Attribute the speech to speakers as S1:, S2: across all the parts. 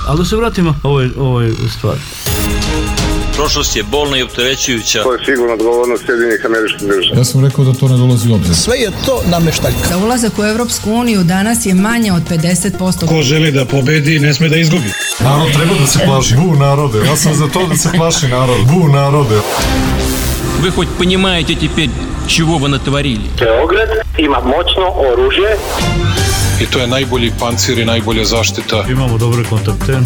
S1: Ali da se vratimo ovoj stvari.
S2: Prošlost je bolna i opterećujuća.
S3: To je sigurno odgovornost Sjedinjenih Američkih Država.
S4: Ja sam rekao da to ne dolazi u obzir.
S5: Sve je to nameštaljka.
S6: Da ulazak u Evropsku uniju danas je manje od 50%.
S7: Ko želi da pobedi, ne sme da izgubi.
S4: Narod treba da se plaši. Bu narode. Ja sam za to da se plaši narod. Bu narode.
S2: Вы хоть понимаете теперь, чего вы натворили?
S3: Beograd ima moćno oružje.
S7: I to je najbolji pancir i najbolja zaštita.
S1: Imamo dobre kontakte.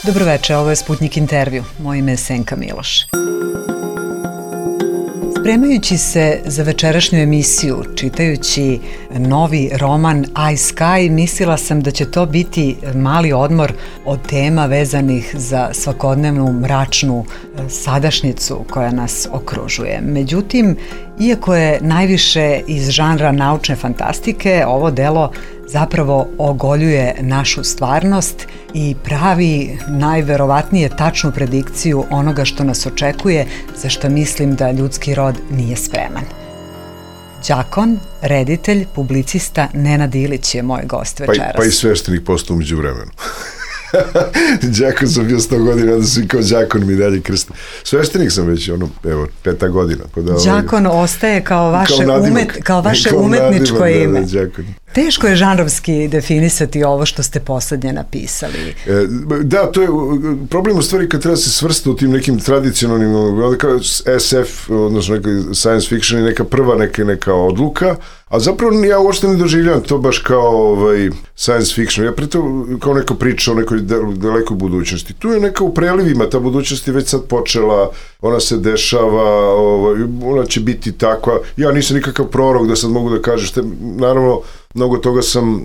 S8: Dobroveče, ovo je Sputnik intervju. Moje ime je Senka Miloš. Spremajući se za večerašnju emisiju, čitajući novi roman I Sky, mislila sam da će to biti mali odmor od tema vezanih za svakodnevnu mračnu sadašnjicu koja nas okružuje. Međutim, iako je najviše iz žanra naučne fantastike, ovo delo zapravo ogoljuje našu stvarnost i pravi najverovatnije tačnu predikciju onoga što nas očekuje, za što mislim da ljudski rod nije spreman. Đakon, reditelj, publicista Nenad Ilić je moj gost večeras.
S9: Pa i sveštenik postao umeđu vremenu. Đakon sam bio 100 godina, da sam kao đakon mi dalje krsta. Sveštenik sam već, 5. godina.
S8: Đakon ostaje kao vaše umetničko ime. Teško je žanrovski definisati ovo što ste poslednje napisali.
S9: Da, to je problem u stvari kad treba se svrsta u tim nekim tradicionalnim, kao SF, odnosno neka science fiction i neka prva neka odluka, a zapravo ja uopšte ne doživljam to baš kao science fiction. Ja preto kao neka priča o nekoj dalekoj budućnosti. Tu je neka u prelivima, ta budućnost je već sad počela, ona se dešava, ona će biti takva. Ja nisam nikakav prorok da sad mogu da kažem, naravno mnogo toga sam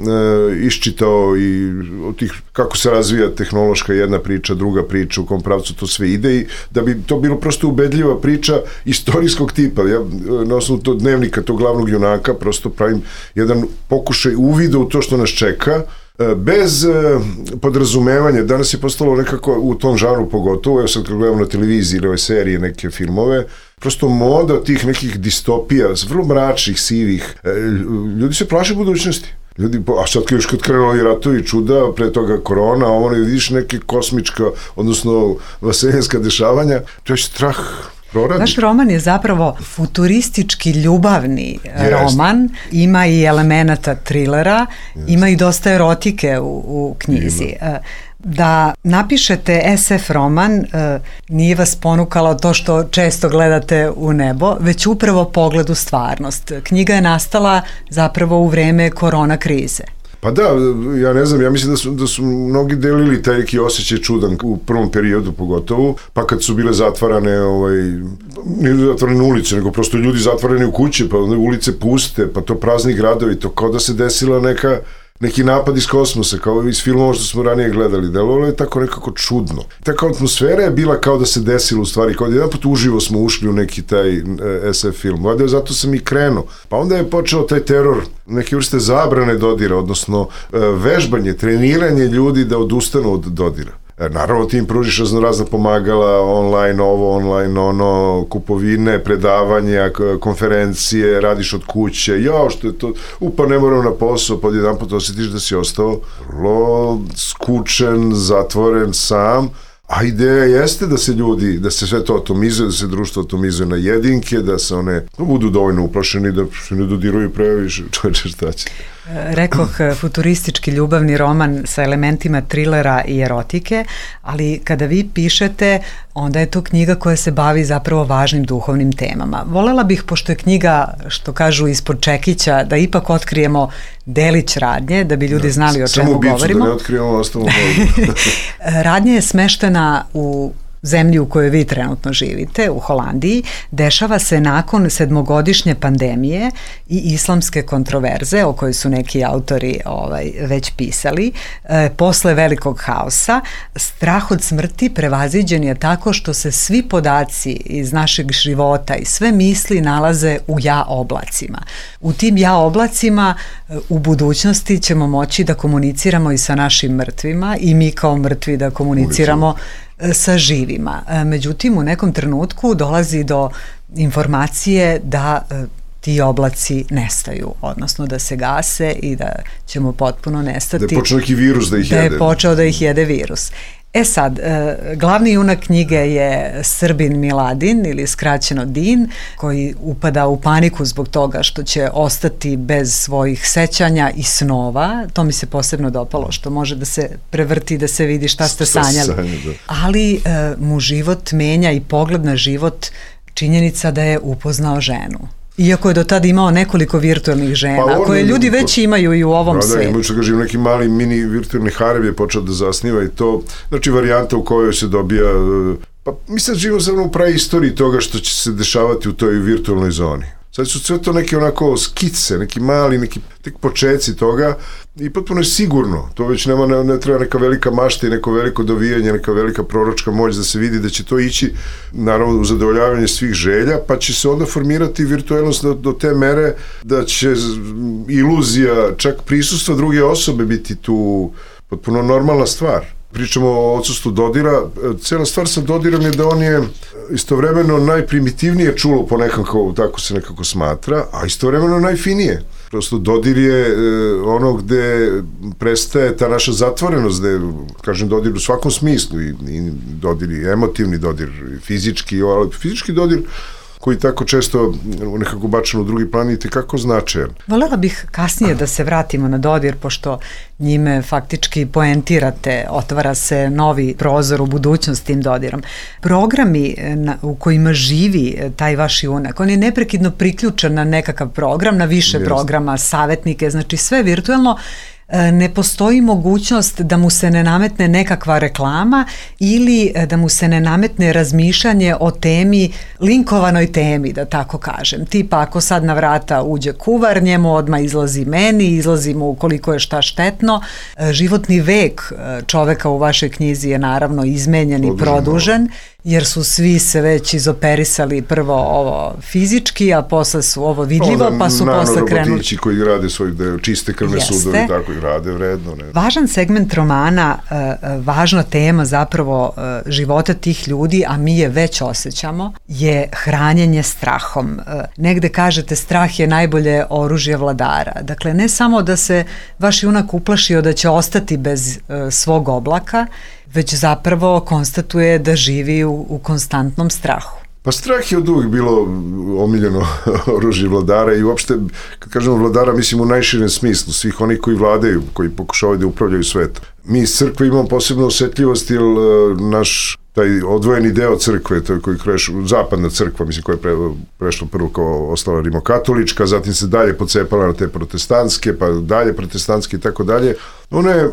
S9: iščitao i od tih kako se razvija tehnološka jedna priča, druga priča, u kom pravcu to sve ide i da bi to bilo prosto ubedljiva priča istorijskog tipa. Ja na osnovu tog dnevnika, tog glavnog junaka, prosto pravim jedan pokušaj uvida u to što nas čeka, bez podrazumevanja. Danas je postalo nekako u tom žanru pogotovo, evo sad kad gledam na televiziji ili ove serije, neke filmove, prosto moda tih nekih distopija, vrlo mračnih, sivih, ljudi se plaše budućnosti. A sad kad krenuo i ratovi čuda, pre toga korona, a ono vidiš neke kosmička, odnosno vaseljenska dešavanja, to je strah.
S8: Vaš roman je zapravo futuristički ljubavni roman, ima i elemenata trilera, ima i dosta erotike u knjizi. Da napišete SF roman nije vas ponukalo to što često gledate u nebo, već upravo pogled u stvarnost. Knjiga je nastala zapravo u vreme korona krize.
S9: Pa da, ja ne znam, ja mislim da su mnogi delili taj neki osjećaj čudan u prvom periodu pogotovo, pa kad su bile zatvarane, nije zatvarane ulice, nego prosto ljudi zatvarani u kući, pa onda ulice puste, pa to prazni gradovi, to kao da se desila neki napad iz kosmosa, kao iz filmova što smo ranije gledali, delovalo je tako nekako čudno. Taka atmosfera je bila kao da se desilo u stvari, kao da jedan put uživo smo ušli u neki taj SF film. Valjda zato sam i krenuo. Pa onda je počeo taj teror, neke vrste zabrane dodira, odnosno vežbanje, treniranje ljudi da odustanu od dodira. Naravno ti im pružiš razna pomagala, online ovo, online ono, kupovine, predavanja, konferencije, radiš od kuće, što je to, pa ne moram na posao, pa jedan put osjetiš da si ostao vrlo skučen, zatvoren, sam, a ideja jeste da se ljudi, da se sve to atomizuje, da se društvo atomizuje na jedinke, da se one budu dovoljno uplašeni, da se ne dodiruju previše, čoveče šta će.
S8: Rekoh, futuristički ljubavni roman sa elementima trilera i erotike, ali kada vi pišete, onda je to knjiga koja se bavi zapravo važnim duhovnim temama. Volela bih, pošto je knjiga, što kažu, ispod čekića, da ipak otkrijemo delić radnje, da bi ljudi znali o čemu govorimo.
S9: Samo bicu da ne otkrijemo, ostalo govorimo.
S8: Radnja je smeštena u zemlji u kojoj vi trenutno živite, u Holandiji, dešava se nakon 7-godišnje pandemije i islamske kontroverze o kojoj su neki autori već pisali. Posle velikog haosa, strah od smrti prevaziđen je tako što se svi podaci iz našeg života i sve misli nalaze u ja oblacima. U tim ja oblacima u budućnosti ćemo moći da komuniciramo i sa našim mrtvima i mi kao mrtvi da komuniciramo sa živima. Međutim, u nekom trenutku dolazi do informacije da ti oblaci nestaju, odnosno da se gase i da ćemo potpuno nestati.
S9: Da je počeo neki virus da ih jede.
S8: Da je počeo da ih jede virus. E sad, glavni junak knjige je Srbin Miladin ili skraćeno Din, koji upada u paniku zbog toga što će ostati bez svojih sećanja i snova. To mi se posebno dopalo, što može da se prevrti, da se vidi šta ste sanjali. Ali mu život menja i pogled na život činjenica da je upoznao ženu. Iako je do tada imao nekoliko virtualnih žena, koje ljudi već imaju i u ovom svetu.
S9: Da, imaju što kažem, neki mali mini virtualni harem je počeo da zasniva i to, znači varijanta u kojoj se dobija, pa mislim da živimo samo u praistoriji toga što će se dešavati u toj virtualnoj zoni. Sad su sve to neke onako skice, neki mali, neki tek počeci toga i potpuno je sigurno, to već ne treba neka velika mašta i neko veliko dovijanje, neka velika proročka moć da se vidi da će to ići naravno u zadovoljavanje svih želja, pa će se onda formirati virtualnost do te mere da će iluzija, čak prisustva druge osobe biti tu potpuno normalna stvar. Pričamo o odsustvu dodira, cijela stvar sa dodirom je da on je istovremeno najprimitivnije čulo po nekako, tako se nekako smatra, a istovremeno najfinije. Prosto dodir je ono gde prestaje ta naša zatvorenost, gde, kažem, dodir u svakom smislu, i dodir i emotivni dodir, i fizički, ali fizički dodir koji tako često nekako bačan u drugi plan i tekako značajan.
S8: Volela bih kasnije da se vratimo na dodir, pošto njime faktički poentirate, otvara se novi prozor u budućnost tim dodirom. Programi u kojima živi taj vaš junak, on je neprekidno priključen na nekakav program, na više programa, savjetnike, znači sve virtualno. Ne postoji mogućnost da mu se ne nametne nekakva reklama ili da mu se ne nametne razmišljanje o temi, linkovanoj temi, da tako kažem. Tipa, ako sad na vrata uđe kuvar, njemu odmah izlazi meni, izlazi mu koliko je šta štetno. Životni vek čoveka u vašoj knjizi je naravno izmenjen i produžen, jer su svi se već izoperisali prvo ovo fizički, a posle su ovo vidljivo, pa su posle krenuli.
S9: Robotići koji rade svoj čiste krvne sudove, tako i rade vredno. Ne?
S8: Važan segment romana, važna tema zapravo života tih ljudi, a mi je već osjećamo, je hranjenje strahom. Negde kažete strah je najbolje oružje vladara. Dakle, ne samo da se vaš junak uplašio da će ostati bez svog oblaka, već zapravo konstatuje da živi u konstantnom strahu.
S9: Pa strah je od uvijek bilo omiljeno oružje vladara i uopšte, kad kažemo vladara, mislim u najširem smislu, svih onih koji vladaju, koji pokušavaju da upravljaju svetom. Mi iz crkve imamo posebno osjetljivost, jer naš taj odvojeni deo crkve, to je koji zapadna crkva, mislim, koja je prešla prvo kao ostala rimokatolička, zatim se dalje pocepala na te protestantske, pa dalje protestantske i tako dalje. Ona je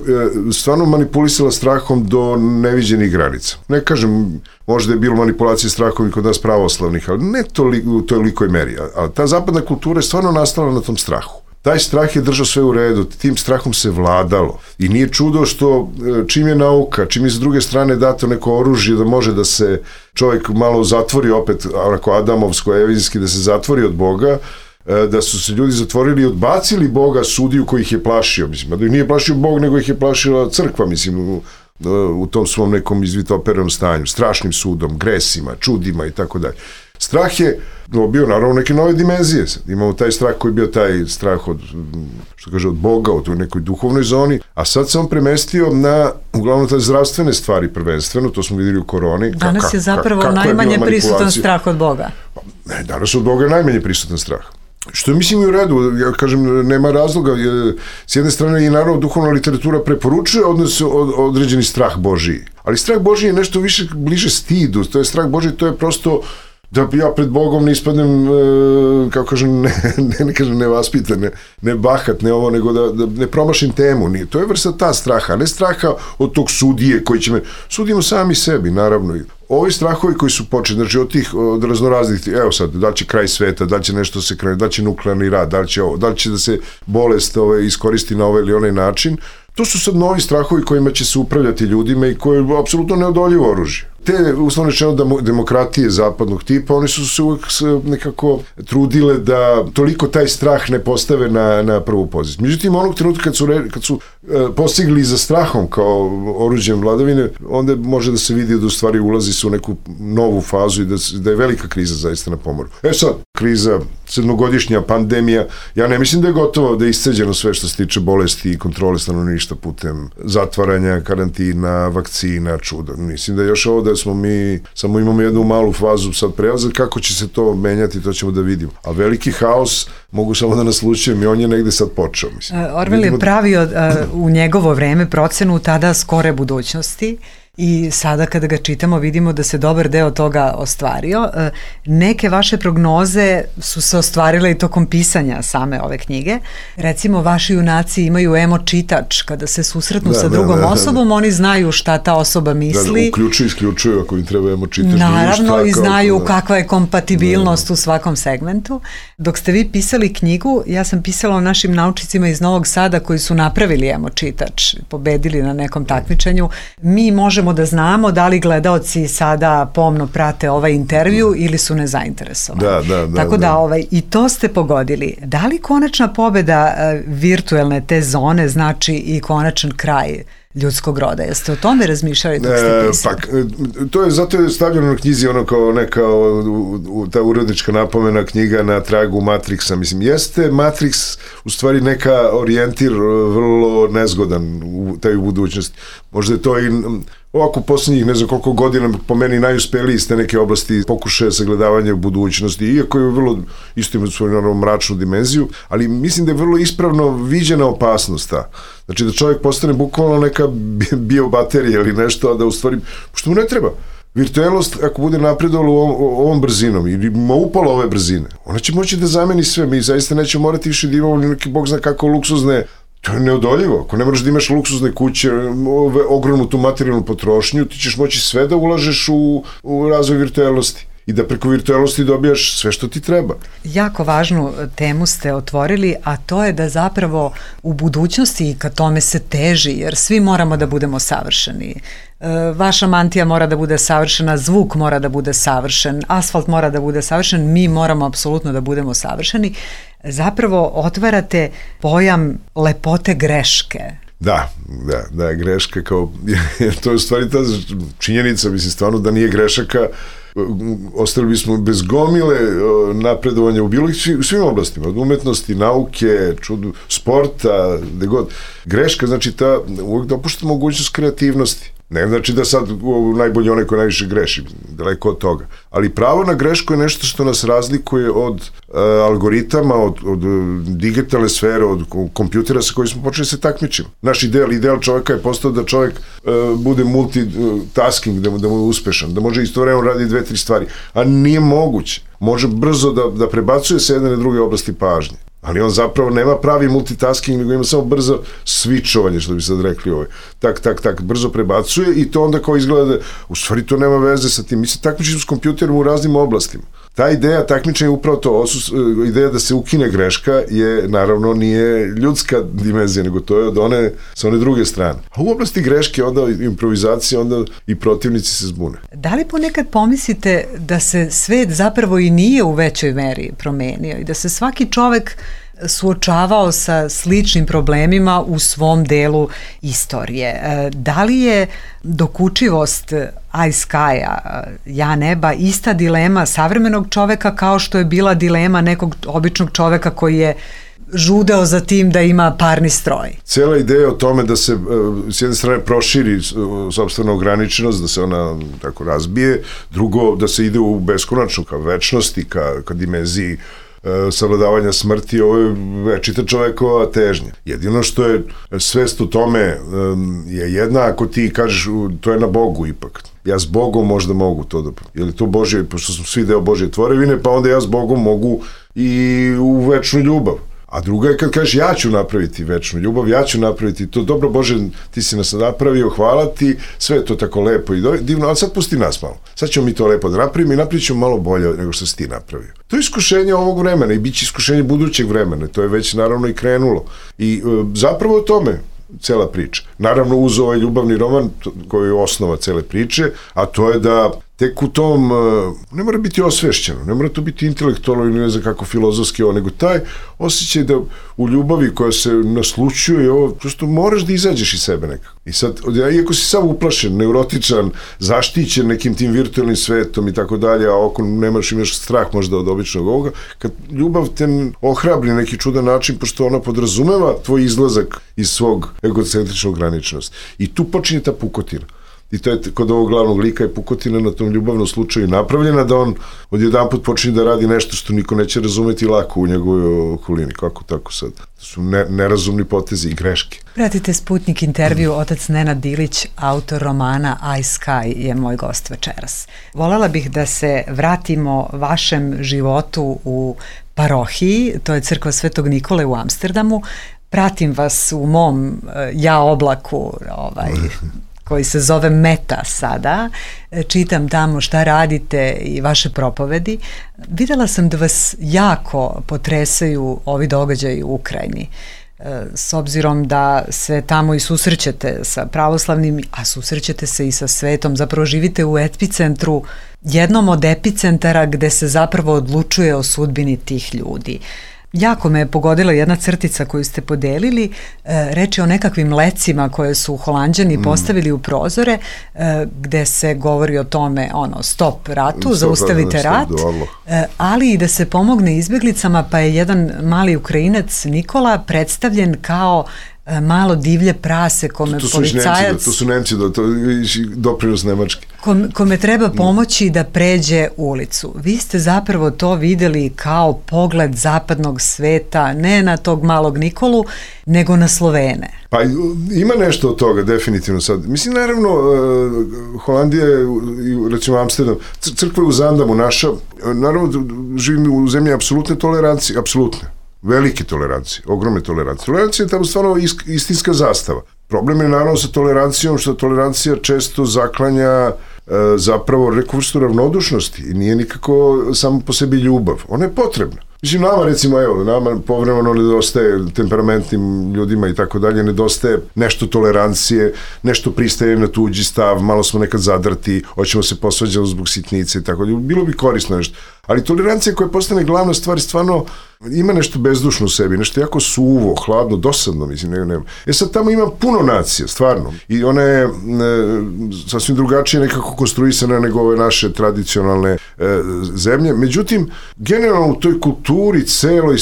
S9: stvarno manipulisala strahom do neviđenih granica. Ne kažem, možda je bilo manipulacije strahom i kod nas pravoslavnih, ali ne u tolikoj meri. A ta zapadna kultura je stvarno nastala na tom strahu. Taj strah je držao sve u redu, tim strahom se vladalo i nije čudo što čim je nauka, čim je s druge strane dato neko oružje da može da se čovjek malo zatvori opet, onako adamovsko, evizijski, da se zatvori od Boga, da su se ljudi zatvorili i odbacili Boga, sudiju koji ih je plašio, mislim, da ih nije plašio Bog, nego ih je plašila crkva, mislim, u tom svom nekom izvitoperenom stanju, strašnim sudom, gresima, čudima i tako dalje. Strah je dobio naravno neke nove dimenzije. Imamo taj strah koji je bio taj strah od, što kaže, od Boga, u toj nekoj duhovnoj zoni, a sad se on premestio na uglavnom te zdravstvene stvari prvenstveno, to smo vidjeli u koroni.
S8: Danas je zapravo najmanje prisutan strah od Boga.
S9: Ne, danas od Boga je najmanje prisutan strah. Što mislim i u redu, ja kažem, nema razloga, s jedne strane i naravno duhovna literatura preporučuje određeni strah Božiji, ali strah Božiji je nešto više bliže stidu, to je strah Božiji, to je prosto da ja pred Bogom ne ispadnem, kako kažem, ne kažem nevaspitan, ne bahat, ne ovo, nego da ne promašim temu. To je vrsta ta straha, ne straha od tog sudije koji će me... Sudimo sami sebi, naravno. Ovi strahovi koji su počeli, znači od raznoraznih, evo sad, da li će kraj sveta, da li će nešto se krene, da li će nuklearni rad, da li će da se bolest iskoristi na ovaj ili onaj način, to su sad novi strahovi kojima će se upravljati ljudima i koji je apsolutno neodoljivo oružje. Te, uslovno rečeno, demokratije zapadnog tipa, oni su se uvek nekako trudile da toliko taj strah ne postave na prvu poziciju. Međutim, onog trenutka kad su postigli za strahom kao oruđem vladavine, onda može da se vidi da u stvari ulazi se u neku novu fazu i da je velika kriza zaista na pomoru. Sad, kriza, 7-godišnja pandemija, ja ne mislim da je gotovo, da je isceđeno sve što se tiče bolesti i kontrole stanovništva putem zatvaranja, karantina, vakcina, čuda. Mislim da je još ovo da smo mi, samo imamo jednu malu fazu sad prelaza, kako će se to menjati, to ćemo da vidimo. A veliki haos, mogu samo da naslučujem, i on je negde sad počeo.
S8: Orwell je pravio u njegovo vreme procenu tada skore budućnosti i sada kada ga čitamo vidimo da se dobar deo toga ostvario. Neke vaše prognoze su se ostvarile i tokom pisanja same ove knjige. Recimo, vaši junaci imaju emo čitač. Kada se susretnu sa drugom osobom, oni znaju šta ta osoba misli.
S9: Isključuju ako im treba emo čitač.
S8: Naravno, i znaju kakva je kompatibilnost u svakom segmentu. Dok ste vi pisali knjigu, ja sam pisala o našim naučnicima iz Novog Sada koji su napravili emo čitač, pobedili na nekom takmičenju. Mi možemo da znamo da li gledaoci sada pomno prate ovaj intervju ili su nezainteresovani. Tako da i to ste pogodili. Da li konačna pobeda virtuelne te zone znači i konačan kraj ljudskog roda? Jeste o tome razmišljali dok ste pisali?
S9: To je, zato je stavljeno na knjizi ono kao neka ta urednička napomena, knjiga na tragu Matrixa. Mislim, jeste Matrix u stvari neka orijentir vrlo nezgodan u taj budućnosti. Možda je to i ovako posljednjih ne znam koliko godina po meni najuspeliji iz te neke oblasti pokušaja sagledavanja budućnosti, iako je vrlo isto ima svoju naravno mračnu dimenziju, ali mislim da je vrlo ispravno viđena opasnost ta. Znači da čovjek postane bukvalno neka biobaterija ili nešto, a da u stvari, što mu ne treba. Virtuelnost, ako bude napredovala ovom brzinom ili ima upala ove brzine, ona će moći da zameni sve. Mi zaista nećemo morati više da imamo neki bog zna kako luksuzne. To je neodoljivo. Ako ne moraš da imaš luksuzne kuće, ogromnu tu materijalnu potrošnju, ti ćeš moći sve da ulažeš u razvoj virtuelnosti i da preko virtuelnosti dobijaš sve što ti treba.
S8: Jako važnu temu ste otvorili, a to je da zapravo u budućnosti i ka tome se teži, jer svi moramo da budemo savršeni. Vaša mantija mora da bude savršena, zvuk mora da bude savršen, asfalt mora da bude savršen, mi moramo apsolutno da budemo savršeni. Zapravo otvarate pojam lepote greške.
S9: Da, greška kao, to je u stvari ta činjenica, mislim stvarno da nije grešaka, ostali bismo bez gomile napredovanja u svim oblastima, od umetnosti, nauke, sporta, gde god. Greška, znači uvijek dopušta mogućnost kreativnosti. Ne znači da sad najbolje onaj ko najviše greši, daleko od toga. Ali pravo na grešku je nešto što nas razlikuje od algoritama, od digitalne sfere, od kompjutera sa kojim smo počeli se takmičimo. Naš ideal čovjeka je postao da čovjek bude multitasking, da mu je uspešan, da može istovremeno raditi 2-3 stvari. A nije moguće. Može brzo da prebacuje se jedne na druge oblasti pažnje. Ali on zapravo nema pravi multitasking, nego ima samo brzo switchovanje, što bi sad rekli tak, brzo prebacuje i to onda kao izgleda da, u stvari to nema veze sa tim. Mi se takmičimo s kompjuterom u raznim oblastima. Ta ideja takmičenja je upravo to, ideja da se ukine greška je, naravno, nije ljudska dimenzija, nego to je sa one druge strane. A u oblasti greške, onda improvizacije, onda i protivnici se zbune.
S8: Da li ponekad pomislite da se svet zapravo i nije u većoj meri promenio i da se svaki čovek suočavao sa sličnim problemima u svom delu istorije? Da li je dokučivost iSky-a, ja neba, ista dilema savremenog čoveka kao što je bila dilema nekog običnog čoveka koji je žudeo za tim da ima parni stroj?
S9: Cela ideja o tome da se s jedne strane proširi sopstvena ograničenost, da se ona tako razbije, drugo da se ide u beskonačnu, ka večnosti, ka dimenziji savladavanja smrti, ovo je večita čovekova težnja. Jedino što je svest u tome je jedna, ako ti kažeš to je na Bogu ipak. Ja s Bogom možda mogu to da... Je li to Božje, pošto smo svi deo Božje tvorevine, pa onda ja s Bogom mogu i u večnu ljubav. A druga je kad kažeš ja ću napraviti večnu ljubav, ja ću napraviti to, dobro Bože, ti si nas napravio, hvala ti, sve je to tako lepo i divno, ali sad pusti nas malo. Sad ćemo mi to lepo da napravimo i napravit ćemo malo bolje nego što si ti napravio. To je iskušenje ovog vremena i bit će iskušenje budućeg vremena, to je već naravno i krenulo. I zapravo o tome, cela priča. Naravno uz ovaj ljubavni roman koji je osnova cele priče, a to je da tek u tom, ne mora biti osvešćeno, ne mora to biti intelektualno ili ne znam kako filozofski ovo, nego taj osjećaj da u ljubavi koja se naslučuje, ovo, prosto moraš da izađeš iz sebe nekako. I sad, iako si sam uplašen, neurotičan, zaštićen nekim tim virtualnim svetom i tako dalje, a oko imaš strah možda od običnog ovoga, kad ljubav te ohrabri na neki čudan način, pošto ona podrazumeva tvoj izlazak iz svog egocentričnog graničnosti. I tu počinje ta pukotina. I to je kod ovog glavnog lika je pukotina na tom ljubavnom slučaju napravljena da on odjedanput počinje da radi nešto što niko neće razumeti lako u njegovoj okolini. Kako tako sad? To su nerazumni potezi i greške.
S8: Pratite Sputnik intervju, otac Nenad Dilić, autor romana I Sky je moj gost večeras. Volela bih da se vratimo vašem životu u parohiji, to je crkva Svetog Nikole u Amsterdamu. Pratim vas u mom oblaku, koji se zove Meta sada, čitam tamo šta radite i vaše propovedi. Videla sam da vas jako potresaju ovi događaji u Ukrajini, s obzirom da se tamo i susrećete sa pravoslavnim, a susrećete se i sa svetom, zapravo živite u epicentru, jednom od epicentara gde se zapravo odlučuje o sudbini tih ljudi. Jako me je pogodila jedna crtica koju ste podelili, reč je o nekakvim lecima koje su Holanđani postavili u prozore, gde se govori o tome, stop ratu, zaustavite rat, ali i da se pomogne izbjeglicama, pa je jedan mali Ukrajinac Nikola predstavljen kao malo divlje prase kome policajac...
S9: To su Nemci, to je doprinos Nemačke.
S8: Kome treba pomoći da pređe ulicu. Vi ste zapravo to videli kao pogled zapadnog sveta, ne na tog malog Nikolu, nego na Slovene.
S9: Pa ima nešto od toga, definitivno sad. Mislim, naravno, Holandija je, recimo Amsterdam, crkva je u Zandamu naša, naravno, živimo u zemlji apsolutne tolerancije, apsolutne. Velike tolerancije, ogromne tolerancije. Tolerancija je tamo stvarno istinska zastava. Problem je naravno sa tolerancijom, što tolerancija često zaklanja zapravo neku vrstu ravnodušnosti i nije nikako samo po sebi ljubav. Ona je potrebna. Mislim, nama recimo, nama povremeno nedostaje temperamentnim ljudima i tako dalje, nedostaje nešto tolerancije, nešto pristaje na tuđi stav, malo smo nekad zadrti, hoćemo se posvađati zbog sitnice i tako dalje. Bilo bi korisno nešto. Ali tolerancija koja postane glavna stvar stvarno ima nešto bezdušno u sebi, nešto jako suvo, hladno, dosadno, mislim, nema. Sad tamo ima puno nacija, stvarno. I ona je sasvim drugačije nekako konstruisana nego ove naše tradicionalne zemlje. Međutim, generalno u toj kulturi celoj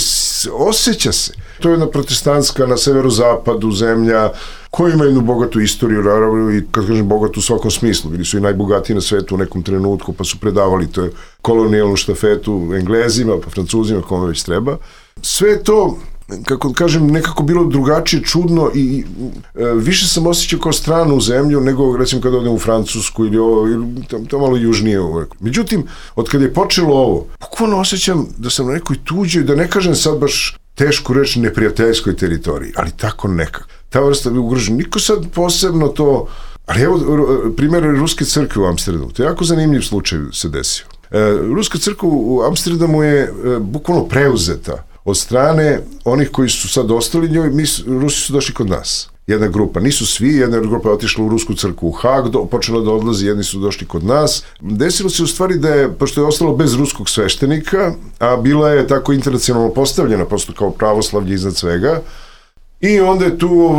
S9: osjeća se. To je jedna protestantska na severozapadu zemlja koja ima jednu bogatu istoriju, naravno, i kad kažem bogatu u svakom smislu, bili su i najbogatiji na svetu u nekom trenutku, pa su predavali to kolonijalnu štafetu Englezima, pa Francuzima, kome već treba. Sve to, kako kažem, nekako bilo drugačije, čudno i više sam osjećao kao stranu zemlju nego, recimo, kad odem u Francusku ili to malo južnije. Međutim, od kada je počelo ovo, bukvalno osjećam da sam na nekoj tuđoj, da ne kažem sad baš tešku reč neprijateljskoj teritoriji, ali tako nekako. Ta vrsta bi ugrožena. Niko sad posebno to... Ali evo, primjer Ruske crkve u Amsterdamu. To je jako zanimljiv slučaj se desio. Ruska crkva u Amsterdamu je bukvalno preuzeta od strane onih koji su sad ostali njoj. Rusi su došli kod nas. Jedna grupa, nisu svi, jedna grupa je otišla u Rusku crkvu u Hag, počela da odlazi, jedni su došli kod nas. Desilo se u stvari da je, pošto je ostalo bez ruskog sveštenika, a bila je tako internacionalno postavljena, prosto kao pravoslavlje iznad svega, i onda je tu,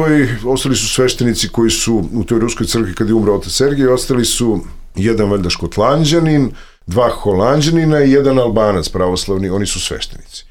S9: ostali su sveštenici koji su u toj Ruskoj crkvi kad je umro otac Sergij, ostali su jedan valjda Škotlanđanin, 2 Holanđanina i 1 Albanac pravoslavni, oni su sveštenici.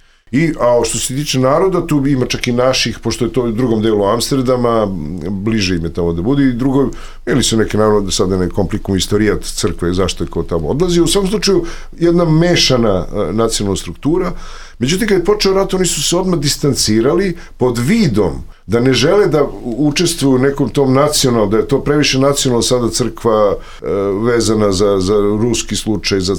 S9: A što se tiče naroda, tu ima čak i naših, pošto je to u drugom delu Amsterdama, bliže im je tamo da bude, i drugo, ili su neke, naravno, da sada ne komplikujem istorijat crkve, zašto je ko tamo odlazi. U svakom slučaju, jedna mešana nacionalna struktura. Međutim, kad je počeo rat, oni su se odmah distancirali pod vidom da ne žele da učestvuju u nekom tom nacionalnom, da je to previše nacionalno sada crkva vezana za ruski slučaj, za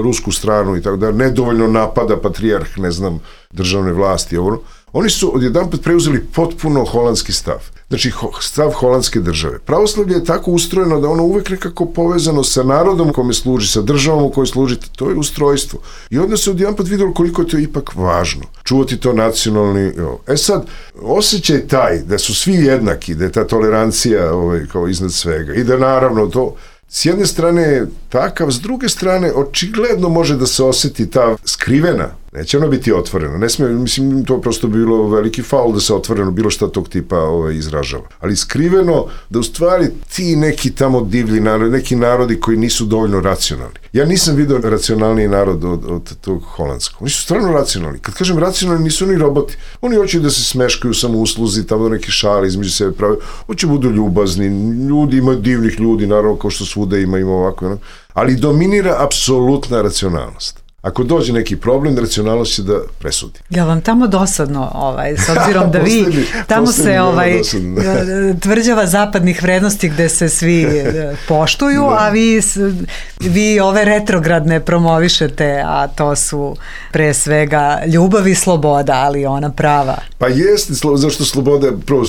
S9: rusku stranu i tako da nedovoljno napada patrijarh, ne znam, državne vlasti. Oni su odjedanput preuzeli potpuno holandski stav. Znači, stav holandske države. Pravoslavlje je tako ustrojeno da ono uvek nekako povezano sa narodom kome služi, sa državom u kojoj služite. To je ustrojstvo. I onda se odjedan put vidjelo koliko je to ipak važno. Čuvati to nacionalni... sad, osjećaj taj da su svi jednaki, da je ta tolerancija kao iznad svega i da naravno to... S jedne strane je takav, s druge strane očigledno može da se osjeti ta skrivena, neće ona biti otvorena, ne smije, mislim, to prosto bilo veliki faul da se otvoreno bilo šta tog tipa izražava, ali skriveno da u stvari ti neki tamo divlji narodi, neki narodi koji nisu dovoljno racionalni. Ja nisam vidio racionalniji narod od tog holandskog. Oni su stvarno racionalni. Kad kažem racionalni, nisu oni roboti. Oni hoće da se smeškaju samo usluzi, tamo da neki šali između sebe prave. Hoće budu ljubazni. Ljudi, ima divnih ljudi, naravno, kao što svuda ima ovako. Ali dominira apsolutna racionalnost. Ako dođe neki problem, racionalnost će da presudi.
S8: Ja vam tamo dosadno, s obzirom da vi, tamo se tvrđava zapadnih vrednosti gde se svi poštuju, a vi ove retrogradne promovišete, a to su pre svega ljubav i sloboda, ali ona prava.
S9: Pa jeste, zašto sloboda, prvo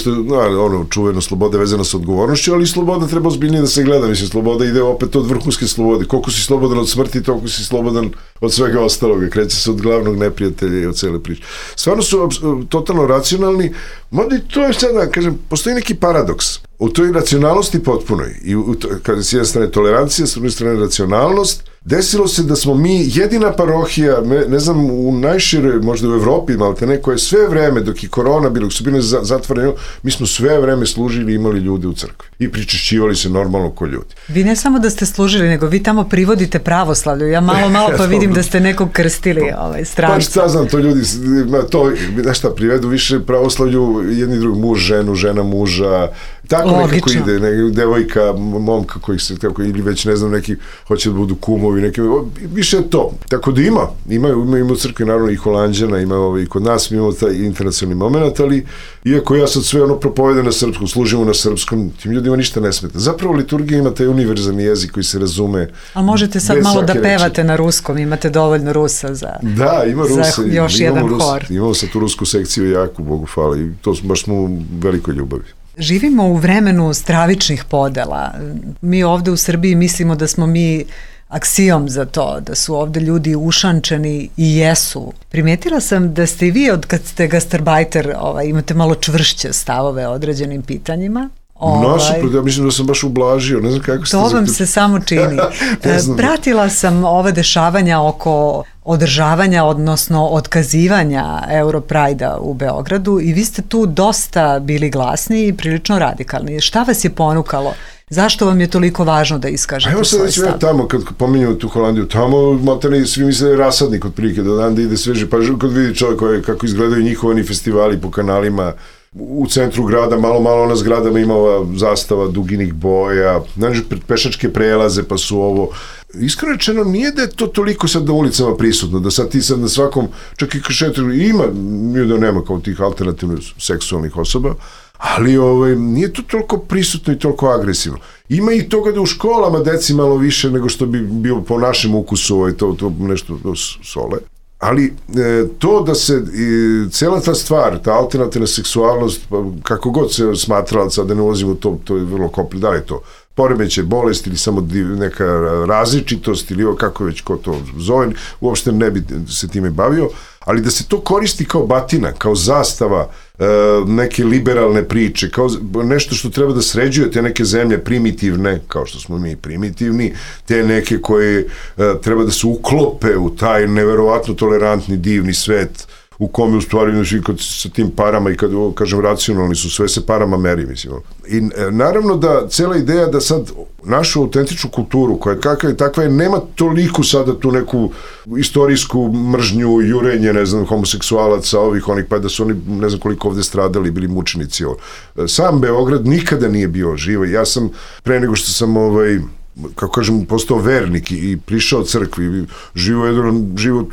S9: čuveno sloboda vezana sa odgovornošću, ali sloboda treba ozbiljnije da se gleda, mislim, sloboda ide opet od vrhunske slobode. Koliko si slobodan od smrti, toliko si slobodan od svega ostaloga, kreće se od glavnog neprijatelja i od cele priče. Stvarno su totalno racionalni, možda i to je sada, kažem, postoji neki paradoks. U toj racionalnosti potpunoj, i kada s jedne strane tolerancija, s druge strane racionalnost, desilo se da smo mi jedina parohija, ne znam, u najširoj, možda u Evropi, malte neko je sve vreme, dok je korona bilo, dok su bili zatvoreni, mi smo sve vreme služili i imali ljude u crkvi. I pričešćivali se normalno ko ljudi.
S8: Vi ne samo da ste služili, nego vi tamo privodite pravoslavlju. Ja malo pa vidim da ste nekog krstili stranca.
S9: Pa šta znam, to ljudi, znaš šta, privedu više pravoslavlju, jedni drugi, muž, ženu, žena, muža, tako nekako ide, devojka, momka kojih se, ili već ne znam, neki hoće da budu kumovi, neki, više je to. Tako da ima u crkvi naravno i Holanđana, ima i kod nas, mi imamo taj internacionalni moment, ali iako ja sad sve propovedam na srpskom, služimo na srpskom, tim ljudima ništa ne smeta. Zapravo liturgija ima taj univerzalni jezik koji se razume.
S8: A možete sad malo da pevate na ruskom, imate dovoljno Rusa za
S9: ima Rusa,
S8: još jedan hor.
S9: Imamo sad tu rusku sekciju jako, Bogu hvala, i to baš smo u velikoj ljubavi.
S8: Živimo u vremenu stravičnih podela. Mi ovde u Srbiji mislimo da smo mi aksijom za to, da su ovde ljudi ušančeni i jesu. Primetila sam da ste i vi, od kad ste gastarbajter, imate malo čvršće stavove o određenim pitanjima.
S9: Nasuprot, ja mislim da sam baš ublažio, ne znam kako ste...
S8: To vam se samo čini. Pratila sam ova dešavanja oko održavanja, odnosno otkazivanja Europrajda u Beogradu i vi ste tu dosta bili glasni i prilično radikalni. Šta vas je ponukalo? Zašto vam je toliko važno da iskažete svoj stav?
S9: Evo sad već tamo, kad pominjamo tu Holandiju, tamo materne svi misle da je rasadnik otprilike, da dan da ide sveže, pa kad vidi čovjek kako izgledaju njihovani festivali po kanalima, u centru grada, malo na zgradama ima ova zastava duginih boja, znači pešačke prelaze, pa su ovo... Iskreno rečeno, nije da je to toliko sad na ulicama prisutno, da sad ti sad na svakom, čak i kašetru, ima, nije da nema kao tih alternativnih seksualnih osoba, ali nije to toliko prisutno i toliko agresivno. Ima i toga da u školama deci malo više nego što bi bilo po našem ukusu, to nešto sole. Ali to da se cijela ta stvar, ta alternativna seksualnost, kako god se smatrala, sad da ne ulazimo u to je vrlo komplikoano, da li je to poremećaj, bolest ili samo neka različitost ili kako već ko to zove, uopšte ne bi se time bavio, ali da se to koristi kao batina, kao zastava neke liberalne priče, kao nešto što treba da sređuje te neke zemlje primitivne, kao što smo mi primitivni, te neke koje treba da se uklope u taj neverovatno tolerantni, divni svet u kome u stvari sa tim parama i kad kažem racionalni su, sve se parama meri, mislim. I naravno da cela ideja da sad našu autentičnu kulturu koja je takva je, nema toliko sada tu neku istorijsku mržnju, jurenje, ne znam, homoseksualaca, onih, pa da su oni ne znam koliko ovde stradali, bili mučenici. Sam Beograd nikada nije bio živo. Ja sam, pre nego što sam kako kažem, postao vernik i prišao crkvi, živo jedan život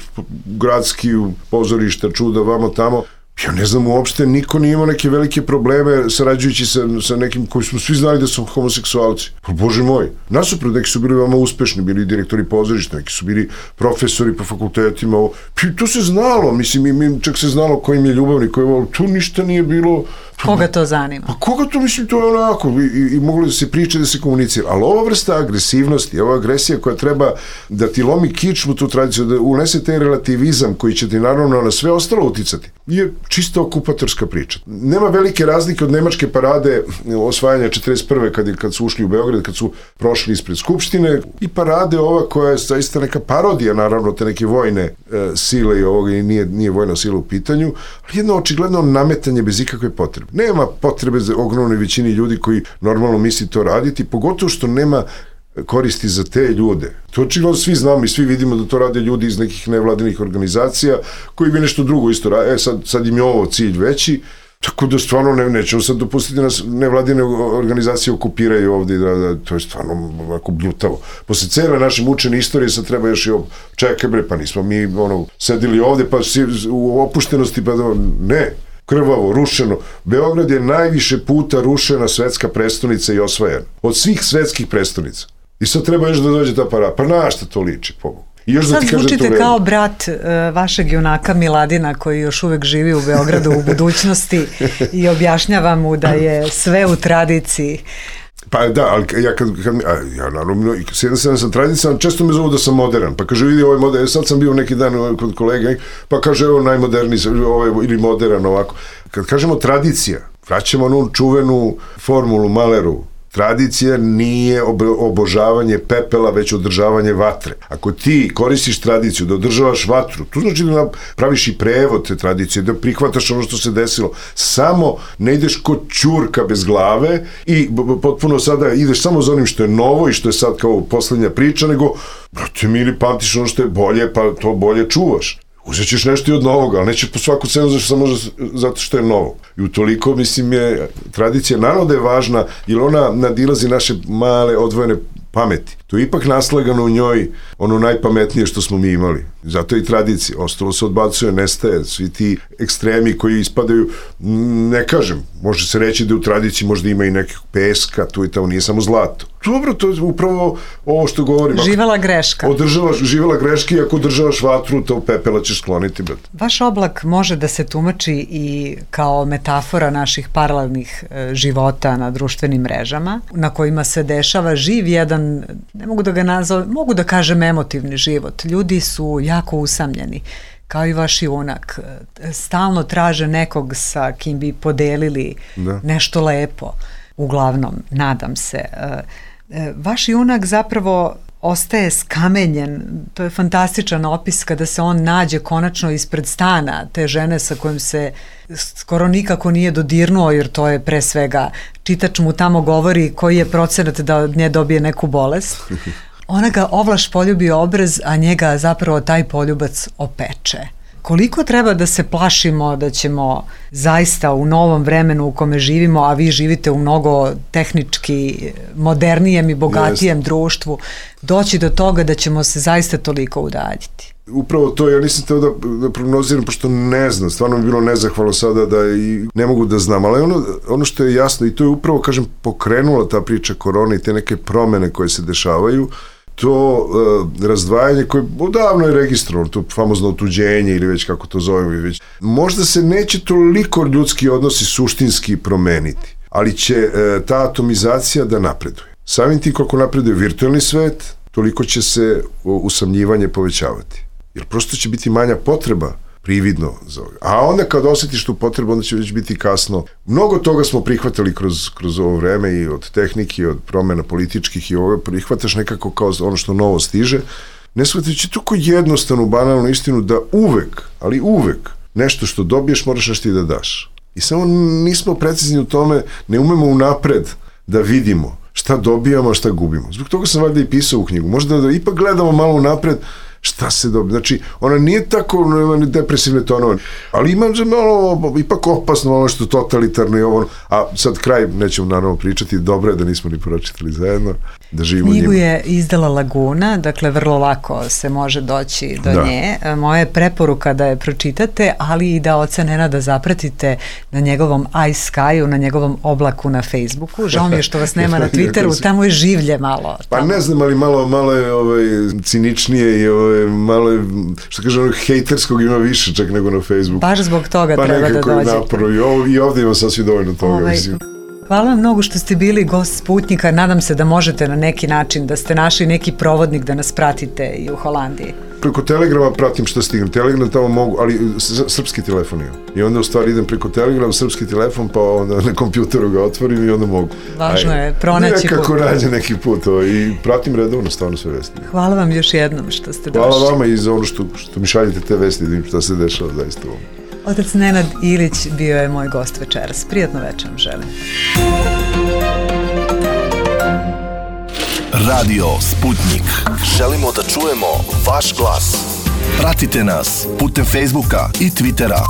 S9: gradski, pozorišta, čuda, vamo tamo. Ja ne znam, uopšte niko nije imao neke velike probleme sarađujući sa nekim koji smo svi znali da su homoseksualci. Pa Bože moj, nasuprot, neki su bili veoma uspešni, bili direktori pozorišta, neki su bili profesori po fakultetima. To se znalo, mislim, čak se znalo ko im je ljubavnik, tu ništa nije bilo
S8: Koga to zanima?
S9: Pa koga to, mislim, to je onako, i moglo da se priča, da se komunicira, ali ova vrsta agresivnosti, ova agresija koja treba da ti lomi kičmu tu tradiciju, da unese taj relativizam koji će ti naravno na sve ostalo uticati, je čisto okupatorska priča. Nema velike razlike od nemačke parade osvajanja 41. kad su ušli u Beograd, kad su prošli ispred Skupštine, i parade ova koja je zaista neka parodija, naravno, te neke vojne sile i ovoga, i nije vojna sila u pitanju, ali jedno očigledno nametanje bez ikakve potrebe. Nema potrebe za ogromnoj većini ljudi koji normalno misli to raditi, pogotovo što nema koristi za te ljude. To očigledno svi znamo i svi vidimo da to rade ljudi iz nekih nevladinih organizacija koji bi nešto drugo isto rade. Sad im je ovo cilj veći, tako da stvarno nećemo sad dopustiti nas nevladine organizacije okupiraju ovde i to je stvarno ovako bljutavo. Posle cele naše mučene istorije sad treba još i čekaj bre, pa nismo mi sedili ovde pa u opuštenosti, pa ne, krvavo, rušeno. Beograd je najviše puta rušena svetska prestonica i osvajana. Od svih svetskih prestonica. I sad treba još da dođe ta parada. Pa na šta to liči, pobogu?
S8: Sad zvučite kao brat vašeg junaka Miladina koji još uvek živi u Beogradu u budućnosti i objašnjava mu da je sve u tradiciji.
S9: Pa da, ali ja naravno, sam tradicionalan, često me zovu da sam modern, pa kaže, vidi, ovo je modern, sad sam bio neki dan kod kolega, pa kaže, evo najmoderniji, ili modern ovako. Kad kažemo tradicija, vraćamo onu čuvenu formulu Maleru, tradicija nije obožavanje pepela, već održavanje vatre. Ako ti koristiš tradiciju da održavaš vatru, to znači da praviš i prevod te tradicije, da prihvataš ono što se desilo. Samo ne ideš kod ćurka bez glave i potpuno sada ideš samo za onim što je novo i što je sad kao poslednja priča, nego, brate mili, pamtiš ono što je bolje, pa to bolje čuvaš. Uzet ćeš nešto i od novoga, ali nećeš po svaku cenu samo zato što je novo. I utoliko, mislim, je tradicija, naravno da je važna, jer ona nadilazi naše male odvojene pameti. To je ipak naslagano u njoj ono najpametnije što smo mi imali. Zato je i tradicija. Ostalo se odbacuje, nestaje. Svi ti ekstremi koji ispadaju, ne kažem, može se reći da u tradiciji možda ima i nekih peska, tu i tamo, nije samo zlato. Dobro, to je upravo ovo što govorim.
S8: Živela greška.
S9: Živela greška i ako održavaš vatru, to pepela ćeš skloniti, brate.
S8: Vaš oblak može da se tumači i kao metafora naših paralelnih života na društvenim mrežama, na kojima se dešava živ jedan, ne mogu da ga nazovem, mogu da kažem emotivni život. Ljudi su jako usamljeni, kao i vaš junak. Stalno traže nekog sa kim bi podelili nešto lepo. Uglavnom, nadam se. Vaš junak zapravo ostaje skamenjen. To je fantastičan opis kada se on nađe konačno ispred stana te žene sa kojom se skoro nikako nije dodirnuo, jer to je pre svega, čitač mu tamo govori koji je procenat da od nje dobije neku bolest. Ona ga ovlaš poljubi obraz, a njega zapravo taj poljubac opeče. Koliko treba da se plašimo da ćemo zaista u novom vremenu u kome živimo, a vi živite u mnogo tehnički modernijem i bogatijem društvu, doći do toga da ćemo se zaista toliko udaljiti?
S9: Upravo to, ja nisam teo da prognoziram, pošto ne znam, stvarno bi bilo nezahvalno sada da i ne mogu da znam, ali ono što je jasno, i to je upravo, kažem, pokrenula ta priča korone i te neke promene koje se dešavaju, to razdvajanje koje odavno je registrovano, to famozno otuđenje ili već kako to zovemo, možda se neće toliko ljudski odnosi suštinski promeniti, ali će ta atomizacija da napreduje. Samim tim koliko napreduje virtualni svet, toliko će se usamljivanje povećavati. Jer prosto će biti manja potreba prividno za ovo. A onda kad osjetiš tu potrebu, onda će već biti kasno. Mnogo toga smo prihvatali kroz ovo vreme i od tehnike, i od promjena političkih i ovo prihvataš nekako kao ono što novo stiže. Ne shvatajući toliko jednostavnu, banalnu istinu da uvek, ali uvek, nešto što dobiješ moraš nešto i da daš. I samo nismo precizni u tome, ne umemo unapred da vidimo šta dobijamo, a šta gubimo. Zbog toga sam valjda i pisao u knjigu. Možda da ipak gledamo malo unapred šta se dobije. Znači, ona nije tako depresivne tonove, ali ima malo, ipak opasno, ono što je totalitarno i ovo. A sad kraj, nećemo naravno pričati, dobro je da nismo ni pročitali zajedno, da živimo njima.
S8: Knjigu je izdala Laguna, dakle vrlo lako se može doći do nje. Moja je preporuka da je pročitate, ali i da oca Nenada zapratite na njegovom iSky-u, na njegovom oblaku na Facebooku. Žao mi je što vas nema na Twitteru, tamo je življe malo.
S9: Pa ne znam, ali malo je ciničnije i malo je, što kaže, onog hejterskog ima više čak nego na Facebooku.
S8: Baš zbog toga
S9: Pa
S8: treba da
S9: nekako je
S8: dođete.
S9: naporno i ovdje ima sasvim dovoljno toga, mislim.
S8: Hvala vam mnogo što ste bili gost Sputnjika. Nadam se da možete na neki način, da ste našli neki provodnik da nas pratite i u Holandiji.
S9: Preko Telegrama pratim što stignem. Telegram tamo mogu, ali srpski telefon imam. I onda u stvari idem preko Telegrama, srpski telefon, pa onda na kompjuteru ga otvorim i onda mogu.
S8: Važno je pronaći put.
S9: Nekako nađe neki put i pratim redovno stvarno sve vesti.
S8: Hvala vam još jednom što ste došli.
S9: Hvala vama i za ono što mi šaljete te vesti, da vidim šta se dešava zaista u ovom.
S8: Otac Nenad Ilić bio je moj gost večeras. Prijatno večer vam želim.
S5: Radio Sputnjik. Želimo da čujemo vaš glas. Pratite nas putem Facebooka i Twittera.